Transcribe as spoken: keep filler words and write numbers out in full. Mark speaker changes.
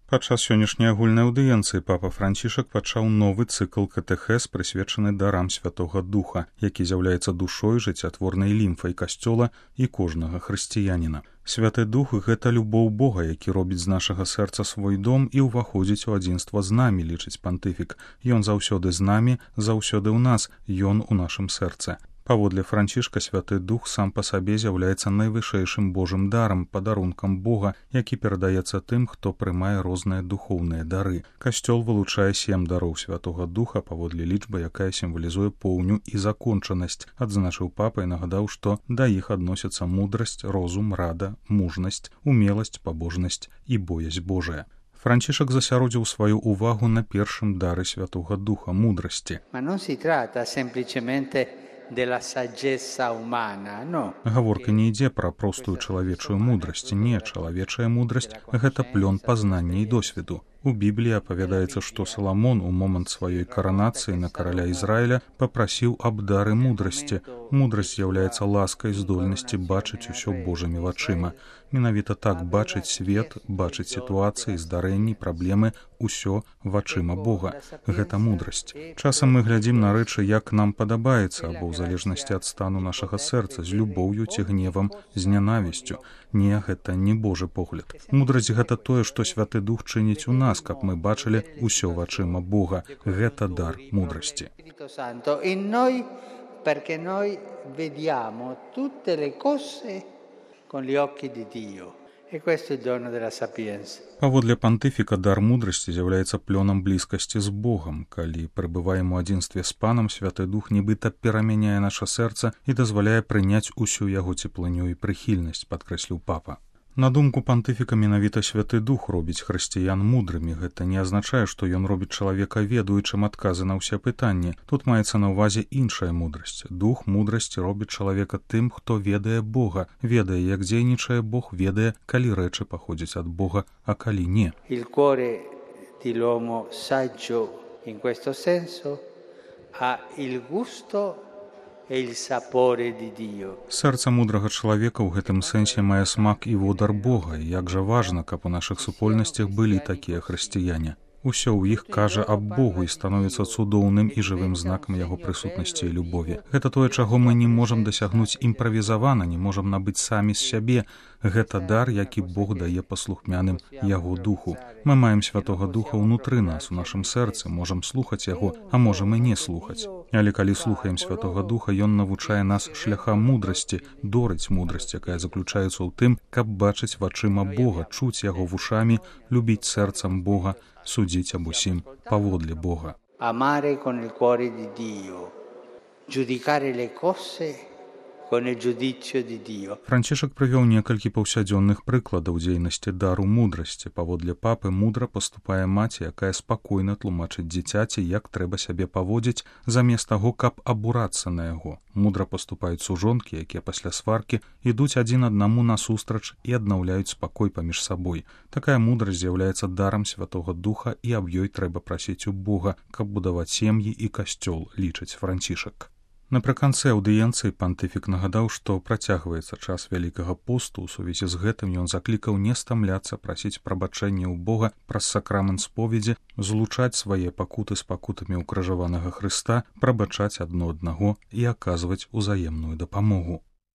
Speaker 1: Падчас сённяшняй агульнай аўдыенцыі папа Францішак пачаў новы цыкл катэхез, прысвечаны дарам Святога Духа, які з'яўляецца душой, жыццятворнай лімфай касцёла і кожнага хрысціяніна. Святы Дух — гэта любоў Бога, які робіць з нашага сэрца свой дом і ўваходзіць у адзінства з намі, лічыць пантыфік. Ён заўсёды з намі, заўсёды ў нас, ён у нашым сэрцы. Паводле Францішка, Святы Дух сам па сабе з'яўляецца найвышэйшым Божым дарам, падарункам Бога, які перадаецца тым, хто прымае розныя духоўныя дары. Касцёл вылучае сем дароў Святога Духа, паводле лічбы, якая сімвалізуе поўню і закончанасць. Адзначыў папа і нагадаў, што да іх адносяцца мудрасць, розум, рада, мужнасць, умеласць, пабожнасць і боязь Божая. Францішак засяродзіў сваю ўвагу на першым дары Святога Духа — мудрасці. Гаворка не ідзе пра простую чалавечую мудрасць. Не, чалавечая мудрасць — гэта плён пазнання і досведу. У Бібліі апавядаецца, што Саламон у момант сваёй каранацыі на караля Ізраіля папрасіў аб дары мудрасці. Мудрасць з'яўляецца ласкай здольнасці бачыць усё Божымі вачыма. Менавіта так бачыць свет, бачыць сітуацыі, здарэнні, праблемы, усё вачыма Бога. Гэта мудрасць. Часам мы глядзім на рэчы, як нам падабаецца, або ў залежнасці ад стану нашага сэрца, з любоўю ці гневам, з нянавісцю. Не, гэта не Божы погляд. Мудрасць — гэта тое, што Святы Дух чыніць у нас, каб мы бачылі ўсё вачыма Бога. Гэта дар мудрасці.
Speaker 2: Perché noi vediamo tutte le cose con gli occhi di Dio. E questo è il dono della sapienza.
Speaker 1: Паводле пантыфіка, дар мудрасці з'яўляецца плёнам блізкасці з Богам. Калі прыбываем у адзінстве з Панам, Святы Дух нібыта перамяняе наша сэрца і дазваляе прыняць усю яго цеплыню і прыхільнасць, падкрэсліў папа. На думку пантыфіка, менавіта Святы Дух робіць хрысціян мудрымі. Гэта не азначае, што ён робіць чалавека ведаючым адказы на ўсе пытанні. Тут маецца на ўвазе іншая мудрасць. Дух мудрасці робіць чалавека тым, хто ведае Бога, ведае, як дзейнічае Бог, ведае, калі рэчы паходзяць ад Бога, а калі не.
Speaker 2: Il cuore di l'uomo saggio in questo senso ha il gusto
Speaker 1: Сэрца мудрага чалавека ў гэтым сэнсе мае смак і водар Бога, і як жа важна, каб у нашых супольнасцях былі такія хрысціяне. Усё ў іх кажа аб Богу і становіцца цудоўным і жывым знакам яго прысутнасці і любові. Гэта тое, чаго мы не можам дасягнуць імправізавана, не можам набыць самі з сябе. Гэта дар, які Бог дае паслухмяным яго духу. Мы маем Святога Духа ўнутры нас, у нашым сэрцы, можам слухаць яго, а можам і не слухаць. Але калі слухаем Святога Духа, ён навучае нас шляхам мудрасці, дорыць мудрасць, якая заключаецца ў тым, каб бачыць вачыма Бога, чуць яго вушамі, любіць сэрцам Бога, судзіць аб усім паводле Бога.
Speaker 2: Amare con il cuore di Dio, giudicare le cose con il giudizio di Dio.
Speaker 1: Францішак прывёў некалькі паўсядзённых прыкладаў дзейнасці дару мудрасці. Паводле папы, мудра паступае маці, якая спакойна тлумачыць дзіцяці, як трэба сябе паводзіць, замест таго, каб абурацца на яго. Мудра паступаюць сужонкі, якія пасля сваркі ідуць адзін аднаму насустрач і аднаўляюць спакой паміж сабой. Такая мудрасць з'яўляецца дарам Святога Духа, і аб ёй трэба прасіць у Бога, каб будаваць сем'і і касцёл, лічыць Францішак. Напрыканцы аўдыенцыі пантыфік нагадаў, што працягваецца час Вялікага посту. У сувязі з гэтым ён заклікаў не стамляцца прасіць прабачэння ў Бога праз сакрамент споведзі, злучаць свае пакуты з пакутамі ўкрыжаванага Хрыста, прабачаць адно аднаго і аказваць узаемную дапамогу.